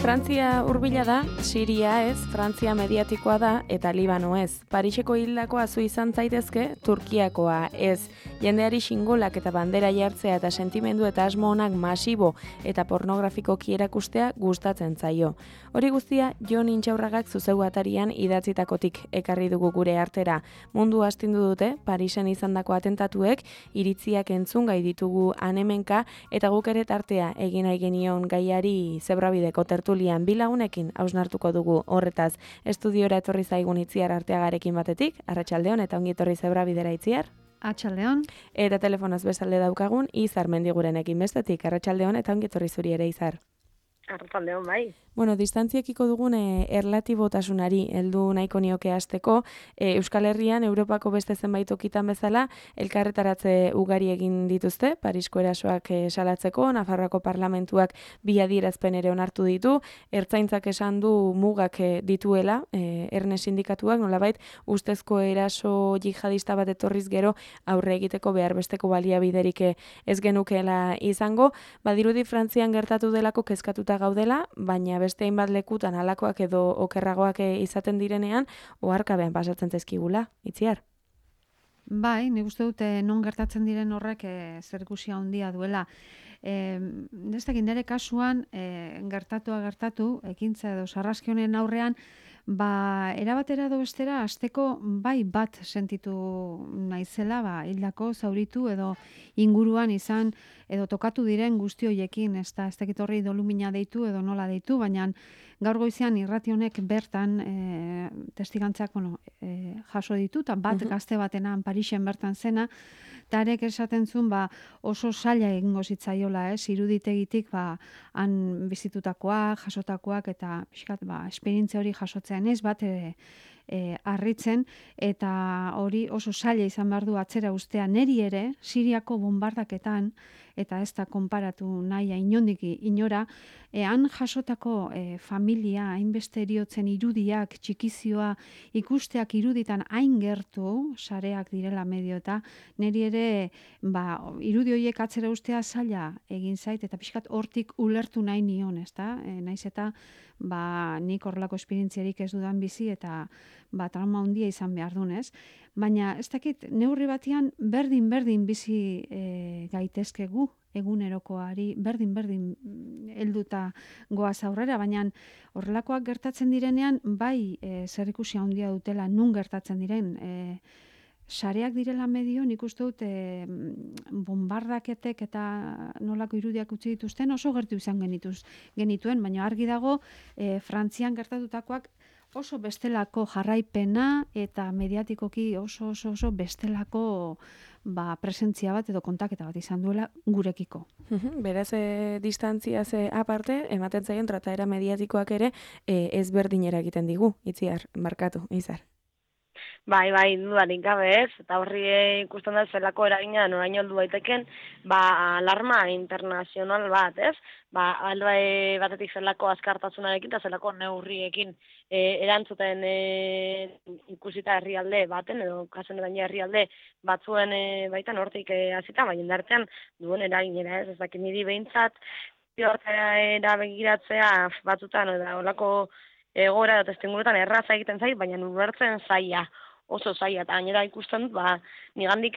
Frantzia hurbila da, Siria ez, Frantzia mediatikoa da eta Libano ez. Pariseko hildakoa zu izan zaitezke, Turkiakoa ez. Jendeari xingolak eta bandera jartzea eta sentimendu eta asmo onak masibo eta pornografikoki erakustea gustatzen zaio. Hori guztia Jon Intxaurragak zuzeu atarian idatzitakotik ekarri dugu gure artera. Mundu astindu dute, Parisen izandako atentatuek, iritziak entzun gai ditugu anemenka eta guk ere tartea egin nahi genion gaiari zebrabideko tertulian bilagunekin hausnartuko dugu horretaz. Estudiora etorri zaigun Itziar Arteagarekin batetik, arratsaldeon eta ongi etorri zebrabidera Itziar. Arratsaldeon. Eta telefonoz bestalde daukagun Izar Mendigurenekin bestetik, arratsaldeon eta ongi etorri zuri ere Izar. Arratsaldeon bai. Bueno, distantziekiko dugun erlatibotasunari heldu nahiko nioke hasteko, Euskal Herrian Europako beste zenbait tokitan bezala elkarretaratze ugari egin dituzte, Parisko erasoak salatzeko, Nafarroako parlamentuak bi adierazpen ere onartu ditu, Ertzaintzak esan du mugak dituela, Erne sindikatuak nolabait ustezko eraso jihadista bat etorriz gero aurre egiteko behar besteko baliabiderik ez genukeela izango, badirudi Frantzian gertatu delako kezkatuta gaudela, baina beste hainbat lekutan halakoak edo okerragoak izaten direnean, oharkabean pasatzen zaizkigula, Itziar. Bai, nik uste dute non gertatzen diren horrek zerikusia handia duela. Ez dakit nire kasuan gertatu, ekintza edo sarraski honen aurrean, erabatera edo bestera hasteko bai bat sentitu naizela, hildako, zauritu edo inguruan izan edo tokatu diren guzti hoiekin, ez dakit horri dolumina deitu edo nola deitu, baina gaur goizean irrati honek bertan testigantzak jaso ditu, eta bat gazte batenan Parisen bertan zena, eta arek esaten zuen oso zaila egingo zitzaiola, iruditegitik han bizitutakoak, jasotakoak, eta esperientzia hori jasotzean ez bat harritzen, eta hori oso zaila izan behar du atzera ustea neri ere, Siriako bombardaketan, eta ez da konparatu nahi inondik inora, han jasotako familia, hainbeste eriotzen irudiak, txikizioa, ikusteak iruditan hain gertu, sareak direla medio, eta neri ere irudi horiek atzera ustea zaila egin zait, eta pixkat hortik ulertu nahi nion, ez da? Naiz eta nik horrelako esperientziarik ez dudan bizi, eta trauma handia izan behar dunez. Baina ez dakit, neurri batean berdin bizi gaitezkegu egunerokoari, berdin helduta goaz aurrera, baina horrelakoak gertatzen direnean, bai zerikusia handia dutela nun gertatzen diren, sareak direla medio, nik uste dut bombardaketek eta nolako irudiak utzi dituzten oso gertu izan genituen, baina argi dago Frantzian gertatutakoak oso bestelako jarraipena eta mediatikoki oso bestelako presentzia bat edo kontaketa bat izan duela gurekiko. Beraz, distantziaz aparte, ematen zaien trataera mediatikoak ere ezberdinera egiten digu, Itziar, markatu, Izar. Bai, dudarik gabe ez, eta horri ikusten da zelako eragina noraino heldu daiteken, alarma internazional bat, ez? Alde batetik zelako azkartasunarekin eta zelako neurriekin erantzuten ikusita herrialde baten, edo kasen baina herrialde batzuen baitan hortik hasita, baina indartean duen eraginera, ez? Ez dakit niri behintzat, hortara begiratzea batzutan, eta holako egoera eta testuinguruetan erraza egiten zait, baina ulertzen zaila, oso zaila, eta gainera ikusten dut, nigandik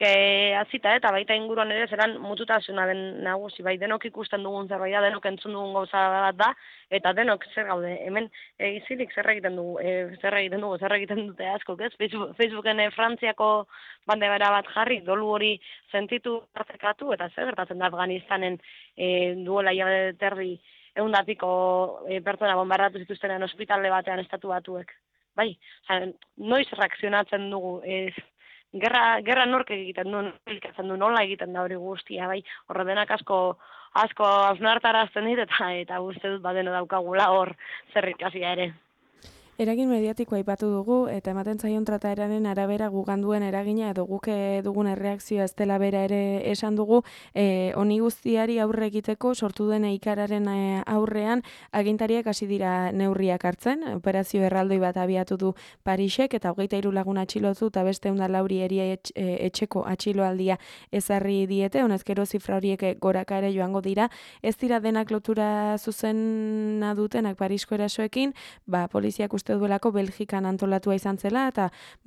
hasita eta baita inguruan ere zelan mututasuna den nagusi, denok ikusten dugun zerbait da, denok entzun dugun gauza bat da, eta denok zer gaude, hemen egizilik zer egiten dute askok, ez? Facebooken Frantziako bandera bat jarri, dolu hori sentitu partekatu, eta zer gertatzen da Afganistanen duela hilabete terdi, 100 pertsona bombardatu zituztenean ospitale batean estatu batuek. Bai, noiz reakzionatzen dugu, gerra nork egiten du, nola egiten da hori guztia, bai, horre denak asko hausnartarazten dit, eta uste dut badeno daukagula hor zer ikasia ere. Eragin mediatikoa aipatu dugu eta ematen zaion trataeraren arabera gugan duen eragina edo guk dugun erreakzioa ez dela bera ere esan dugu, honi guztiari aurre egiteko sortu den ikararen aurrean agintariak hasi dira neurriak hartzen, operazio erraldoi bat abiatu du Parisek eta 23 lagun atxilotu eta beste 104 eria etxeko atxiloaldia ezarri diete, honezkero zifra horiek goraka ere joango dira, ez dira denak lotura zuzena dutenak Parisko erasoekin, poliziak uste duelako Belgikan antolatua izan zela eta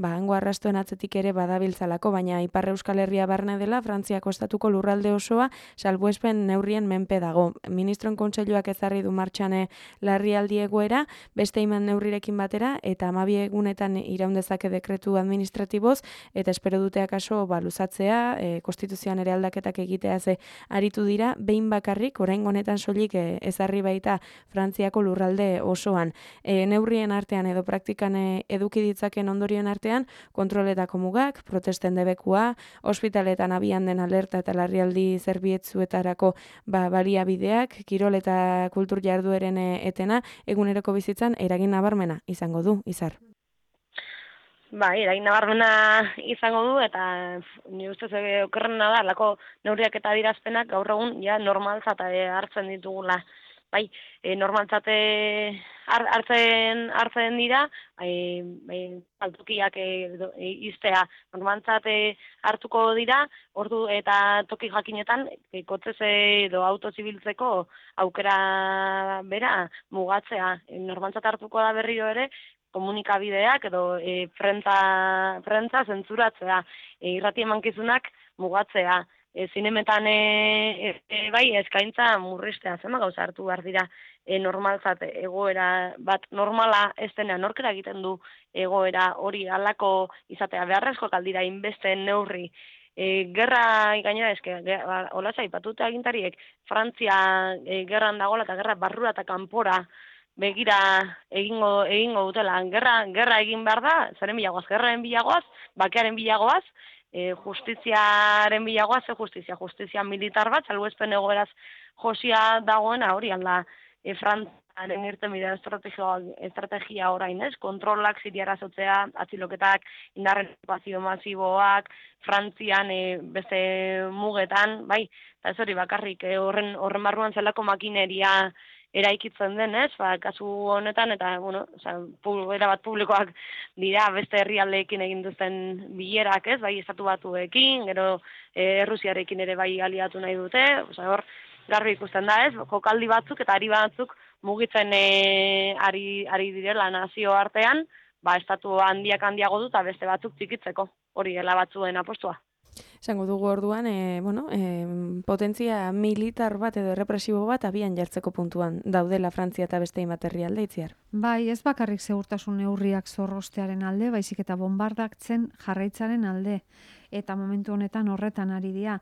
hango arrastoen atzetik ere badabiltzalako, baina Ipar Euskal Herria barne dela Frantziako estatuko lurralde osoa salbuespen neurrien menpe dago. Ministroen kontseiluak ezarri du martxan larrialdi egoera, beste iman neurrirekin batera eta 12 egunetan iraun dezake dekretu administratiboz eta espero dute akaso luzatzea, konstituzioan ere aldaketak egitea ze aritu dira, behin bakarrik orain honetan soilik ezarri baita Frantziako lurralde osoan. Neurrien artean edo praktikan eduki ditzaken ondorioen artean, kontroletako mugak, protesten debekua, ospitaletan abian den alerta eta larrialdi zerbietzuetarako baliabideak, kirol eta kultur jardueren etena, eguneroko bizitzan eragin nabarmena izango du, Izar. Eragin nabarmena izango du, eta ni ustez okerrena da, lako neurriak eta adierazpenak gaur egun normaltzat hartzen ditugula. Normaltzat hartzen dira, altokiak iztea normaltzat hartuko dira, ordu eta toki jakinetan, kotzez edo autozibiltzeko aukera bera mugatzea. Normaltzat hartuko da berriro ere, komunikabideak edo prentza zentzuratzea, irrati emankizunak mugatzea. Zinemetan eskaintza murriztea, zema gauza hartu behar dira normaltzat egoera bat normala ez denean norkera egiten du egoera hori alako izatea beharrezko kaldira inbeste neurri. Gerra gainera hola zaipatute agintariek Frantzia gerran dagoela eta gerra barrura eta kanpora begira egingo dutela. Gerra egin behar da, zaren bilagoaz, gerraren bilagoaz, bakearen bilagoaz, justiziaren bilagoaz, justizia militar bat, salbuespen egoeraz josia dagoena hori alda Frantziaren irtenbide estrategia orain, kontrolak Siriara zotzea, atziloketak, indarren okupazio masiboak, Frantzian beste mugetan, eta ez hori bakarrik horren barruan zelako makineria eraikitzen den, kasu honetan, eta, erabat publikoak dira, beste herrialdeekin egin duzten bilerak, estatu batuekin, gero Errusiarekin ere aliatu nahi dute, hor, garbi ikusten da, jokaldi batzuk eta ari batzuk mugitzen ari direla nazio artean, estatu handiago du eta beste batzuk txikitzeko, hori dela batzuen apostua. Esango dugu orduan, potentzia militar bat edo errepresibo bat abian jartzeko puntuan daudela Frantzia eta beste hainbat herrialde, Itziar. Ez bakarrik segurtasun neurriak zorrostearen alde, baizik eta bombardaktzen jarraitzaren alde. Eta momentu honetan horretan ari dira.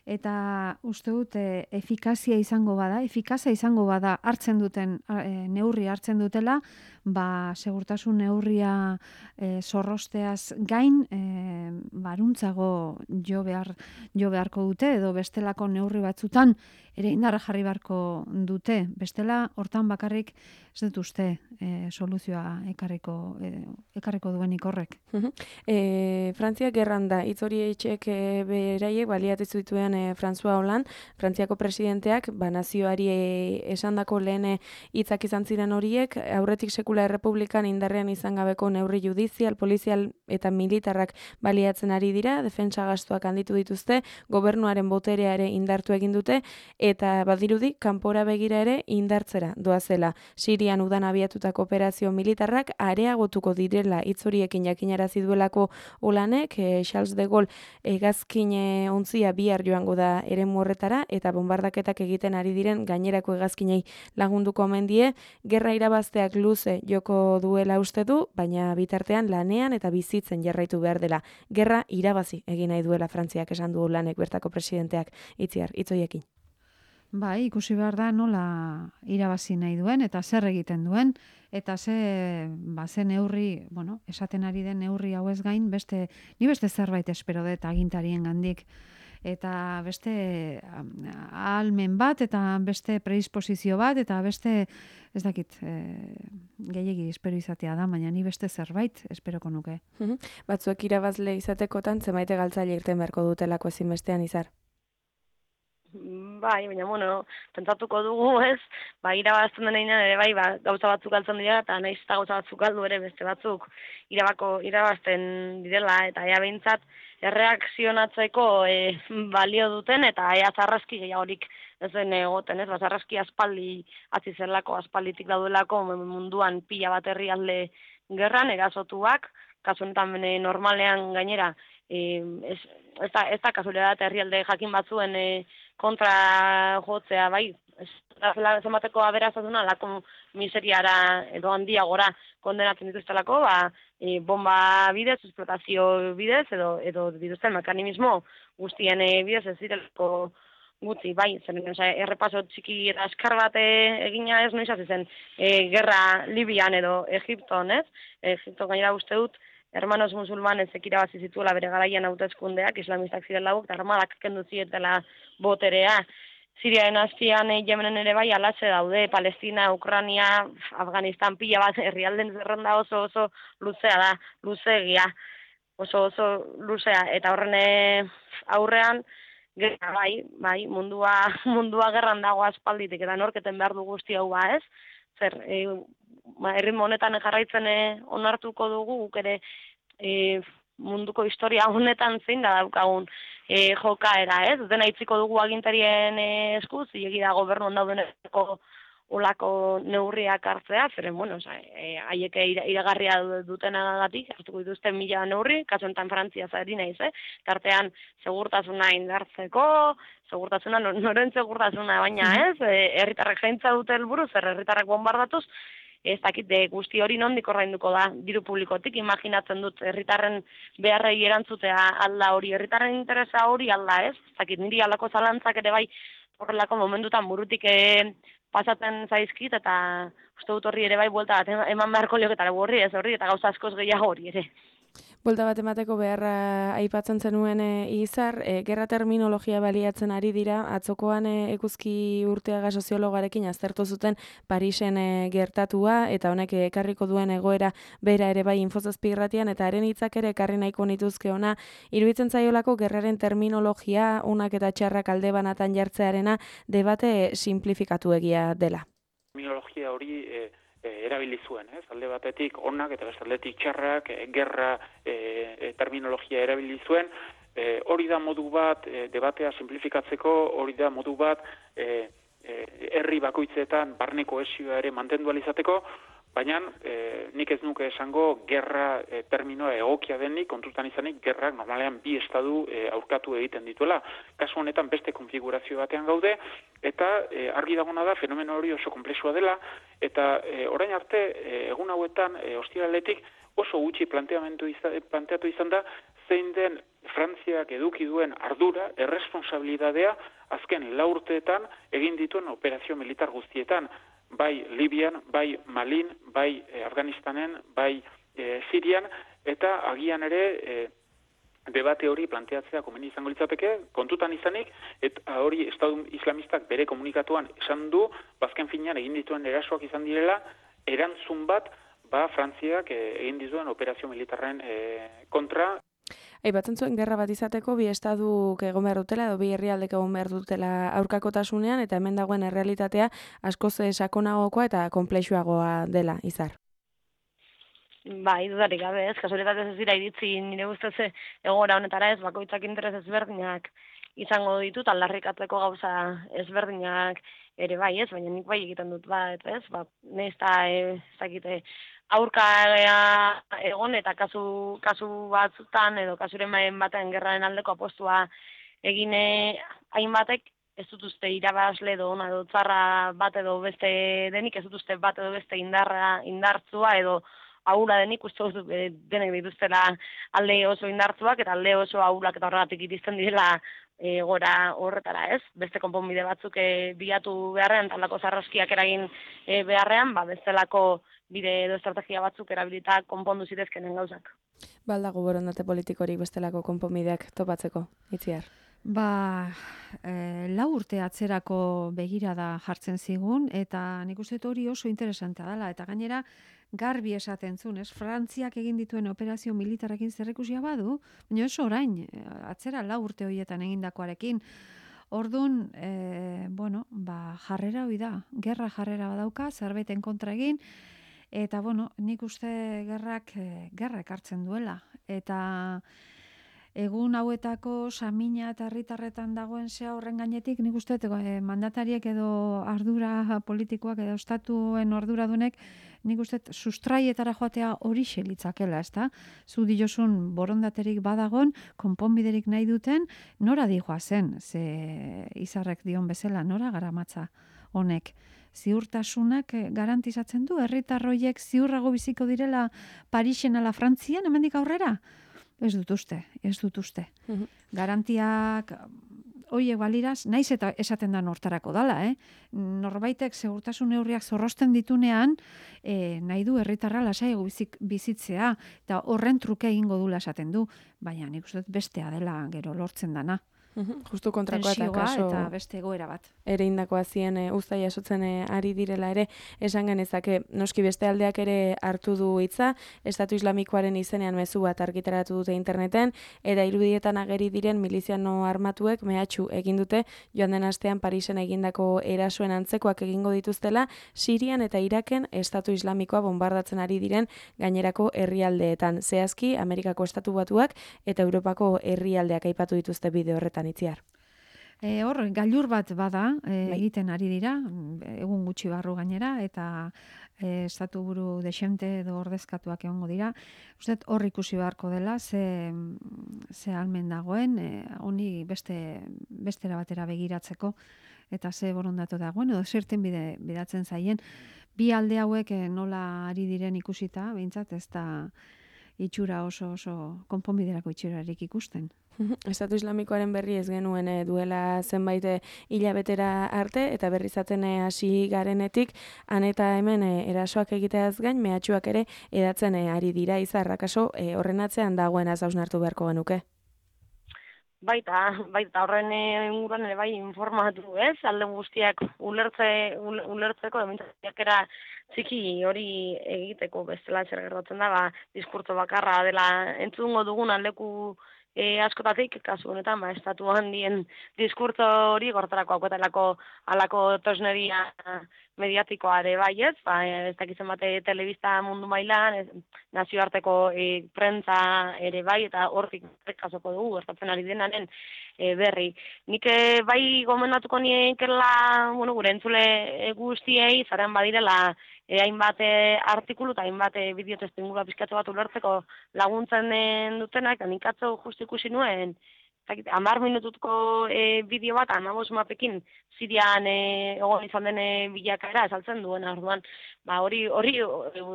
Eta uste dut efikazia izango bada hartzen duten neurri hartzen dutela, segurtasun neurria zorrosteaz gain baruntzago jo beharko dute edo bestelako neurri batzutan ere indarra jarri beharko dute. Bestela hortan bakarrik ez dut uste soluzioa ekarriko duenik horrek. Frantzia gerran da, hitz hori etxek beraiek baliatu zituen François Hollande, Frantziako presidenteak, nazioari esandako lehen hitzak izan ziren horiek, aurretik sekula errepublikan indarrean izan gabeko neurri judizial, polizial eta militarrak baliatzen ari dira, defentsa gastuak handitu dituzte, gobernuaren boterea ere indartu egin dute, eta badirudi, kanpora begira ere indartzera doazela. Sirian udan abiatutako operazio militarrak areagotuko direla hitz horiekin jakinarazi duelako Holandeek, Charles de Gaulle hegazkin ontzia bihar joango da eremu horretara eta bombardaketak egiten ari diren gainerako hegazkinei lagunduko omen die, gerra irabazteak luze joko duela uste du, baina bitartean lanean eta bizitzen jarraitu behar dela. Gerra irabazi egin nahi duela Frantziak esan du Holandeek bertako presidenteak, Itziar, hitz horiekin. Ikusi behar da nola irabazi nahi duen eta zer egiten duen eta ze neurri, esaten ari den neurri hauez gain, ni beste zerbait espero dut agintarien gandik. eta beste ahalmen bat, eta beste predisposizio bat, eta beste, ez dakit, gehiegi espero izatea da, baina ni beste zerbait esperoko nuke. Batzuek irabazle izatekotan, zemaite galtzaile irten beharko dutelako ezinbestean, Izar? Bai, baina, pentsatuko dugu, ez? Irabazten denean ere bai, gauza batzuk galtzen dira, eta nahiz eta gauza batzuk galdu ere beste batzuk irabazten direla, eta ea behintzat erreakzionatzeko balio duten, eta ea zarraski gehiagorik ez den egoten, ez? Zarraski aspaldi hasi zelako, aspalditik daudelako munduan pila bat herrialde gerran, erasotuak, kasu honetan normalean gainera, ez da kasualidad herrialde jakin batzuen kontra jotzea, bai, zenbateko aberastasuna lako miseriara edo handiagora kondenatzen dituztelako, bomba bidez, esplotazio bidez, edo dituzten mekanismo guztien bidez ez direlako gutxi, bai, errepaso txiki eta askar bat egina ez noiz hasi zen gerra Libian edo Egipton, ez? Egipto gainera uste dut, hermanos musulmanes irabazi zituela bere garaian hauteskundeak, islamistak ziren lauk, eta armadak kendu zietela boterea. Siriaren azpian, Yemenen ere bai, alatxe daude, Palestina, Ukrania, Afganistan pila bat, herrialden zerrenda oso luzea da, luzegia, oso luzea, eta horren aurrean, gerra bai, mundua gerran dago aspalditik, eta norketen behar du guzti hau ez? Zer, erritmo honetan jarraitzen onartuko dugu, guk ere munduko historia honetan zein da daukagun jokaera, ez? Dena itziko dugu agintarien eskuz, zilegi da gobernu ondaudeneko olako neurriak hartzea, zeren, haiek iragarria dutenagatik, hartuko dituzte 1000 neurri, kasu honetan Frantzia zari naiz, tartean segurtasuna indartzeko, segurtasuna, noren segurtasuna, baina ez, herritarrek zaintza dute helburu, zer herritarrek bombardatuz, ez dakit guzti hori nondik ordainduko da diru publikotik, imaginatzen dut herritarren beharrei erantzutea alda hori, herritarren interesa hori alda, ez? Ez dakit niri aldako zalantzak ere bai horrelako momentutan burutik pasatzen zaizkit, eta uste dut horri ere bai buelta bat eman beharko lioketara horri, ez horri, eta gauza askoz gehiago hori ere. Buelta bat emateko beharra aipatzen zenuen Izar, gerra terminologia baliatzen ari dira, atzokoan Eguzki Urteaga soziologarekin aztertu zuten Parisen gertatua, eta honek ekarriko duen egoera bera ere bai Infozazpi irratian, eta haren hitzak ere ekarri nahiko nituzke ona, iruditzen zaiolako gerraren terminologia, unak eta txarrak alde banatan jartzearena, debate simplifikatu egia dela. Terminologia hori erabili zuen, alde batetik onak eta beste aldetik txarrak, gerra terminologia erabili zuen, hori da modu bat, debatea simplifikatzeko, hori da modu bat, herri bakoitzetan barne kohesioa ere mantendu ahal izateko, baina nik ez nuke esango gerra terminoa egokia denik, kontutan izanik gerrak normalean bi estadu aurkatu egiten dituela. Kasu honetan beste konfigurazio batean gaude, eta argi dagona da fenomeno hori oso konplexua dela, eta orain arte egun hauetan ostiraletik oso gutxi planteatu izan da zein den Frantziak eduki duen ardura, erresponsabilidadea azken 4 urteetan egin dituen operazio militar guztietan, bai Libian, bai Malin, bai Afganistanen, bai Sirian, eta agian ere debate hori planteatzea komeni izango litzateke, kontutan izanik, eta hori Estatu Islamistak bere komunikatuan esan du, bazken finean egin dituen erasoak izan direla, erantzun bat, Frantziak egin dituen operazio militarren kontra. Aipatzen zuen gerra bat izateko bi estaduk egon behar dutela edo bi herrialdek egon behar dutela aurkakotasunean, eta hemen dagoen errealitatea askoz sakonagokoa eta konplexuagoa dela, Izar. Bai, dudarik gabe, ez, kasualitatez ez dira iritzi nire ustez egoera honetara ez, bakoitzak interes ezberdinak izango ditut, aldarrikatzeko gauza ezberdinak ere bai, ez, baina nik bai egiten dut bat, ez, nesta ezakite aurka egon eta kasu batzutan edo kasuren baten gerraren aldeko apostua egin hainbatek ez dut uste irabazle edo ona edo txarra bat edo beste denik, ez dut uste bat edo beste indartzua edo ahula denik, uste dut denek dituztela alde oso indartzuak eta alde oso ahulak eta horregatik iristen direla gora horretara, ez? Beste konponbide batzuk bilatu beharrean, talako zarraskiak eragin beharrean, bestelako bide edo estrategia batzuk erabilita konpondu zitezkenen gauzak. Baldago borondate politikorik bestelako konponbideak topatzeko, Itziar? Lau urte atzerako begirada jartzen zigun, eta nik uste dut hori oso interesantea dela, eta gainera garbi esaten zuen, Frantziak egin dituen operazio militarrekin zerrikusia badu, baina ez orain, atzera lau urte horietan egindakoarekin. Orduan, jarrera hori da, gerra jarrera badauka, zerbeten kontra egin, eta nik uste gerra ekartzen duela, eta egun hauetako samina eta herritarretan dagoen zea horren gainetik, nik uste mandatariek edo ardura politikoak edo estatuen arduradunek, nik uste sustraietara joatea hori litzakela, ezta? Zu diozun borondaterik badagon, konponbiderik nahi duten, nora dijoa zen, ze izarrek dion bezala, nora garamatza honek. Ziurtasunak garantizatzen du, herritarroiek ziurrago biziko direla Parisen ala Frantzian, hemendik aurrera? Ez dut uste. Garantiak horiek baliraz, naiz eta esaten da nortarako dala, Norbaitek segurtasun neurriak zorrosten ditunean, nahi du herritarra lasaiago bizitzea, eta horren truke egingo dula esaten du, baina nik uste dut bestea dela gero lortzen dana. Justu kontrakoa eta kaso eta beste egoera bat. Ere indakoa zien uztai jasotzen ari direla ere, esan genezake noski beste aldeak ere hartu du hitza, Estatu Islamikoaren izenean mezu bat argitaratu dute interneten, eta irudietan ageri diren miliziano armatuek mehatxu egin dute, joan den astean Parisen egindako erasoen antzekoak egingo dituztela, Sirian eta Iraken Estatu Islamikoa bombardatzen ari diren gainerako herrialdeetan. Zehazki, Amerikako Estatu Batuak eta Europako herrialdeak aipatu dituzte bideo horretan itziar. Hor, gailur bat bada, egiten ari dira, egun gutxi barru gainera, eta estatu buru desente edo ordezkatuak egongo dira. Uste, hor ikusi beharko dela, ze almen dagoen, honi bestera batera begiratzeko, eta ze borondatu dagoen, edo zerten bidatzen zaien. Bi alde hauek nola ari diren ikusita, behintzat ez da itxura oso konponbiderako itxurarik ikusten. Estatu Islamikoaren berri ez genuen duela zenbait hilabetera arte, eta berri zaten hasi garenetik, han eta hemen erasoak egiteaz gain, mehatxuak ere edatzen ari dira, izarrak aso horren atzean dagoen hausnartu beharko genuke. Baita horren inguruan ere bai informatu, ez? Alde guztiak ulertzeko, emintzakiakera txiki hori egiteko bestela zer gertatzen da, diskurtso bakarra dela entzungo dugun aldeku askotatik, kasu honetan, estatu handien diskurtso hori gortarako auketelako alako tosneria mediatikoa ere bai, ez? Ez dakitzen bate telebista mundu mailan, nazioarteko prentza ere bai, eta hortik kasoko dugu, gertatzen ari denaren berri. Nik bai gomendatuko niekela, gure entzule guztiei, zaren badirela, hainbat artikulu eta hainbat bideo testingura pizkatze bat ulertzeko laguntzen dutenak, eta nik atzo justu ikusi nuen, 10 minututko bideo bat, 15 mapekin Sirian egon izan den bilakaera esaltzen duen, orduan, hori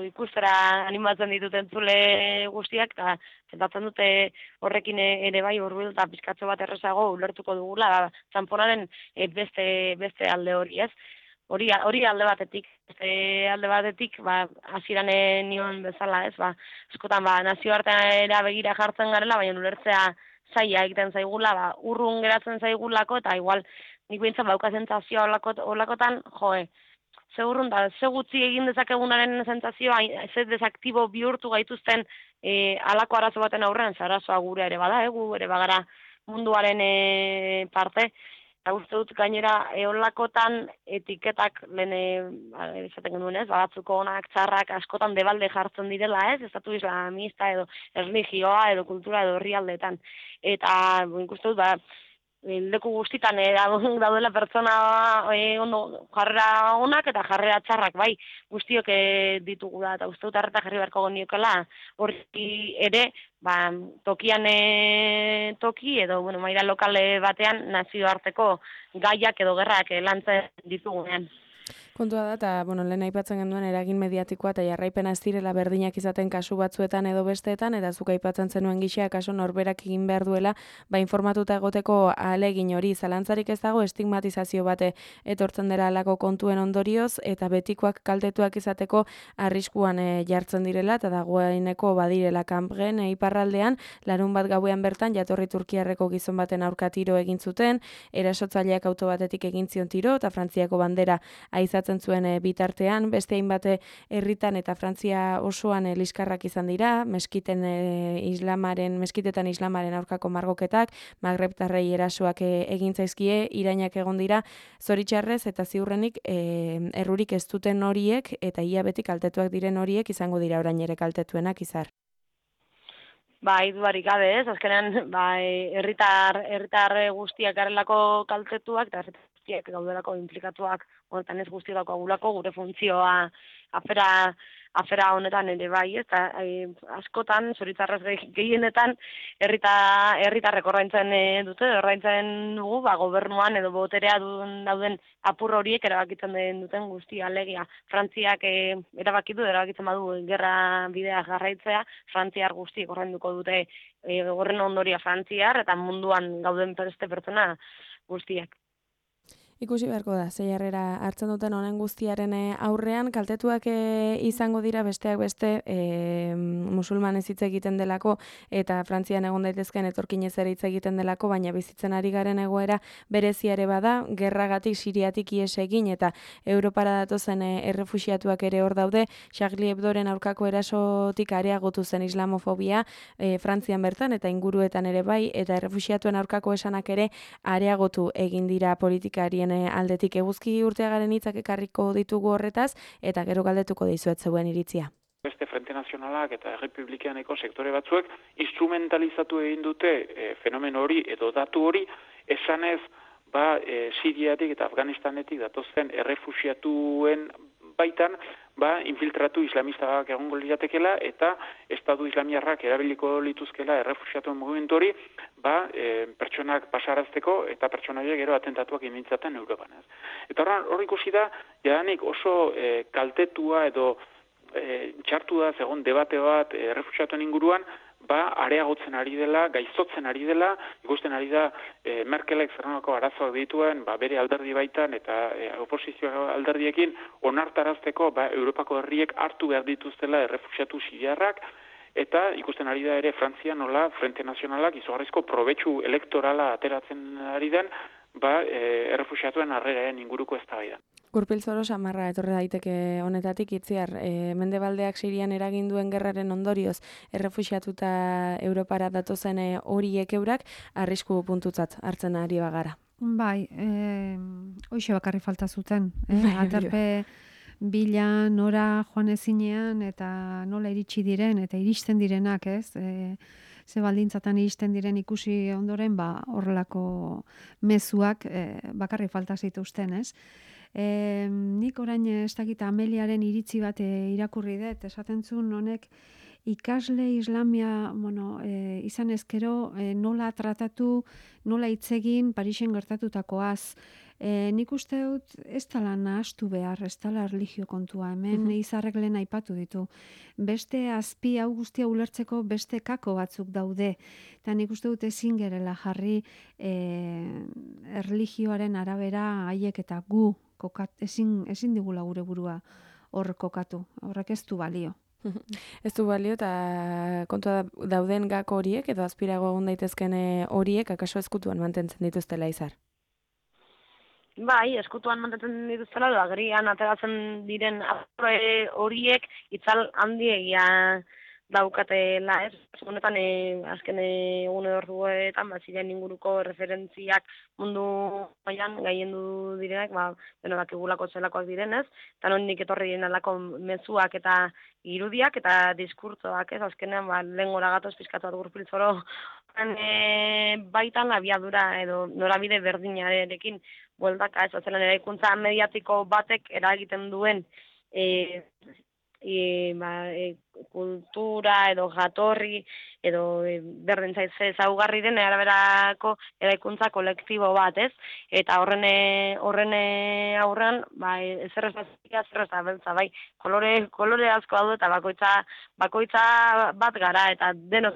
ikustera animatzen dituten entzule guztiak, eta zentatzen dute horrekin ere bai hurbil eta pizkatze bat errezago ulertuko dugula, txamponaren beste alde hori, ez? Hori alde batetik, hasieran nion bezala, ez? Askotan nazioartean begira jartzen garela, baina ulertzea zaila egiten zaigula, urrun geratzen zaigulako, eta igual nik behintzen bauka zentzazioa olakotan, ze urrun da, ze gutxi egin dezakegunaren zentzazioa, ze desaktibo bihurtu gaituzten alako arazo baten aurrean, ze arazoa gure ere bada, gu ere bagara munduaren parte. Eta uste dut gainera eolakotan etiketak lehen esaten genuen, ez? Batzuko onak, txarrak, askotan debalde jartzen direla, ez? Estatu islamista edo erlijioa edo kultura edo herrialdeetan. Eta ikuste dut, leku guztitan daudela pertsona ondo jarrera onak eta jarrera txarrak, bai, guztiok ditugu da, eta uste dut harreta jarri beharko geniokela, hori ere, tokian toki edo, maila lokale batean nazioarteko gaiak edo gerrak lantzen ditugunean. Kontua da, eta, lehen aipatzen genuen eragin mediatikoa eta jarraipena ez direla berdinak izaten kasu batzuetan edo besteetan, eta zuk aipatzen zenuen gisa, kaso norberak egin behar duela, informatuta egoteko ahalegin hori, zalantzarik ez dago estigmatizazio bate etortzen dela alako kontuen ondorioz, eta betikoak kaltetuak izateko arriskuan jartzen direla, eta dagoeneko badirela kanpgen iparraldean, larun bat gauean bertan jatorri turkiarreko gizon baten aurka tiro egin zuten, erasotzaileak auto batetik egin zion tiro, eta Frantziako bandera aizatzen zuen bitartean, beste hainbat herritan eta Frantzia osoan liskarrak izan dira, meskitetan islamaren aurkako margoketak, magrebtarrei erasoak egin zaizkie, irainak egon dira, zoritxarrez eta ziurrenik errurik ez duten horiek eta ia beti kaltetuak diren horiek izango dira orain ere kaltetuenak izar. Bai, dudarik gabe, ez? Azkenean, herritar guztiak garelako kaltetuak eta herritar guztiak gaudelako implikatuak, honetan ez guztiak daukagulako gure funtzioa afera honetan ere bai, ez? Askotan, zoritxarrez gehienetan, herritarrek ordaintzen dute, ordaintzen dugu, gobernuan edo boterea dauden apur horiek erabakitzen duten guztia, alegia. Frantziak erabakitzen badu gerra bidea jarraitzea, frantziar guztiek ordainduko dute horren ondoria frantziar, eta munduan gauden beste pertsona guztiak. Ikusi beharko da, ze jarrera hartzen duten honen guztiaren aurrean, kaltetuak izango dira besteak beste musulmanez hitz egiten delako eta Frantzian egon daitezkeen etorkinez ere hitz egiten delako, baina bizitzen ari garen egoera berezia ere bada, gerragatik Siriatik ihes egin eta Europara datozen errefuxiatuak ere hor daude, Charlie Hebdoren aurkako erasotik areagotu zen islamofobia Frantzian bertan eta inguruetan ere bai, eta errefuxiatuen aurkako esanak ere areagotu egin dira politikarien aldetik. Eguzki Urteagaren hitzak ekarriko ditugu horretaz, eta gero galdetuko dizuet zeuen iritzia. Beste Frente Nazionalak eta Errepublikaneko sektore batzuek instrumentalizatu egin dute fenomeno hori edo datu hori, esanez Siriatik eta Afganistanetik datozen errefuxiatuen baitan, infiltratu islamistak egongo liratekela eta Estatu Islamiarrak erabiliko lituzkela errefuxiatuen mugimendu hori, pertsonak pasarazteko eta pertsonaia gero atentatuak inditzaten Europan. Eta hor ikusi da, jadanik oso kaltetua edo txartu da zegoen debate bat errefuxiatuen inguruan, areagotzen ari dela, gaiztotzen ari dela, ikusten ari da Merkelek zerrenako arazoak dituen, bere alderdi baitan eta oposizio alderdiekin onartarazteko Europako herriek hartu behar dituztela errefuxiatu siriarrak, eta ikusten ari da ere Frantzia nola Frente Nazionalak izugarrizko probetxu elektorala ateratzen ari den, errefuxiatuen harreraren inguruko eztabaidan. Gurpil Zoro samarra etorri daiteke honetatik itziar, Mendebaldeak Sirian eragin duen gerraren ondorioz errefuxiatuta Europara datozen horiek eurak arrisku puntutzat hartzen ari bagara. Bai, hoxe bakarri falta zuten, aterpe bila nora joan ezinean eta nola iritsi diren eta iristen direnak, ez? Ze baldintzatan iristen diren ikusi ondoren, horrelako mezuak bakarri falta zituzten, ez? Nik orain ez dakit Ameliaren iritzi bat irakurri dut, esaten zuen honek ikasle islamia izan ezkero nola tratatu, nola hitz egin Parisen gertatutakoaz. Nik uste dut ez dela nahastu behar, ez dela erlijio kontua, hemen izarrek lehen aipatu ditu. Beste azpi hau guztia ulertzeko beste kako batzuk daude. Eta nik uste dut ezin gerela jarri erlijioaren arabera haiek eta gu ezin digula gure burua hor kokatu. Horrek ez du balio. Ez du balio eta kontua dauden gako horiek edo azpirago egon daitezken horiek akaso ezkutuan mantentzen dituztela izar. Bai, eskutuan mantentzen dituztela, agerian ateratzen diren horiek itzal handiegia daukatela, ez? Honetan, azken egune orduetan, ziren inguruko referentziak mundu mailan gaiendu direnak, dakigulako zelakoak direnez, eta nondik etorri diren alako mezuak eta irudiak eta diskurtsoak, ez? Azkenean, lehen gora gatoz pizkatu bat Gurpil Zoro baitan abiadura edo norabide berdinarekin bueltaka, ez? Zelan eraikuntza mediatiko batek eragiten duen kultura edo jatorri edo berdin zaitze ezaugarri den araberako eraikuntza kolektibo bat, ez? Eta horren aurrean, zer ez da beltza, bai, kolore asko daude eta bakoitza bat gara, eta denok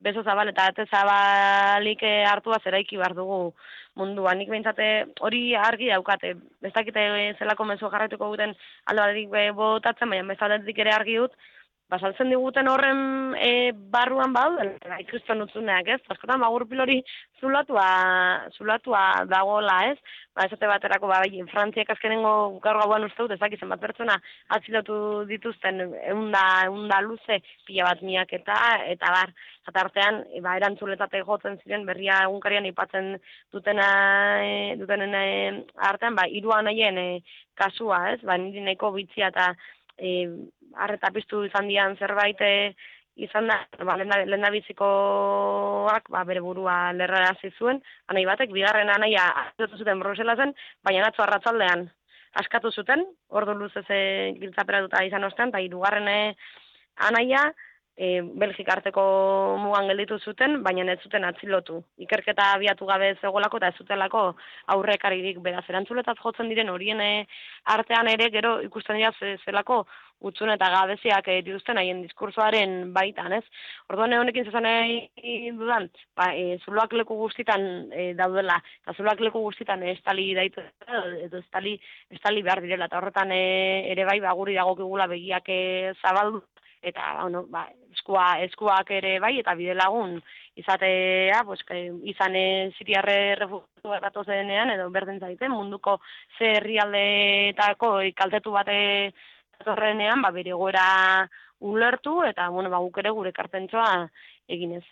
beso zabal eta ate zabalik hartua zeraiki behar dugu munduan. Nik behintzate hori argi daukate. Ez dakite zelako mezua jarraituko guten alde batetik botatzen, baina bezaletik ere argi dut, basaltzen diguten horren barruan ikriston utzuneak, ez? Askotan gurpil hori zulatua dagoela, ez? Esate baterako, Frantziak azkenengo gaur gauan uste dut, ez dakizen bat pertsona atzilotu dituzten eunda luze, pila bat miak eta bar. Eta artean, erantzuletate jotzen ziren, berria egunkarian ipatzen dutenen artean, 3 anaien kasua, ez? Niri nahiko bitzia eta arreta piztu izan dian zerbait izan da, lehendabizikoak bere burua lerrarazi zuen, anai batek, bigarren anaia atzilotu zuten Bruselasen, baina atzo arratzaldean askatu zuten, ordu luzez giltzaperatuta izan ostean, eta 3. anaia Belgika arteko mugan gelditu zuten, baina ez zuten atzilotu. Ikerketa abiatu gabe zegoelako eta ez zutelako aurrekaririk beraz erantzuletat jotzen diren horien artean ere gero ikusten dira zelako utzun eta gabeziak dituzten haien diskursoaren baitan, ez? Orduan honekin zezan dudan, zuloak leku guztitan daudela, eta zuloak leku guztitan estali daitu, edo estali behar direla, eta horretan ere guri dagokigula begiak zabaldu, eta eskuak ere bai, eta bide lagun izatea, izan siriarre refugiatu erratu zenean, edo berdin zaite, munduko ze herrialdeetako kaltetu bate horrenean, bere goera ulertu, eta guk ere gure kartentzoa eginez.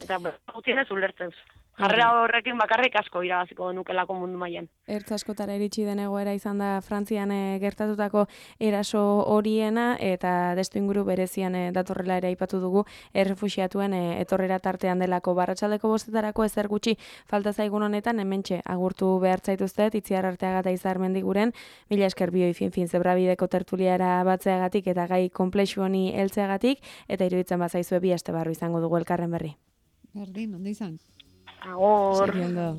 Eta gutien ez ulertzen. Jarrera horrekin bakarrik asko irabaziko nukelako mundu mailan. Ertz askotara iritsi den egoera izan da Frantzian gertatutako eraso horiena, eta testu inguru berezian datorrela ere aipatu dugu errefuxiatuen etorrera tartean delako. Barratsaldeko 5 ezer gutxi falta zaigun honetan, hementxe agurtu behar zaituztet, Itziar Arteaga eta Izar Mendiguren, mila esker bioi fin zebrabideko tertuliara batzeagatik eta gai konplexu honi heltzeagatik, eta iruditzen bazaizue 2 aste barru izango dugu elkarren berri. Berdin, ondo izan. Agor. Segundo.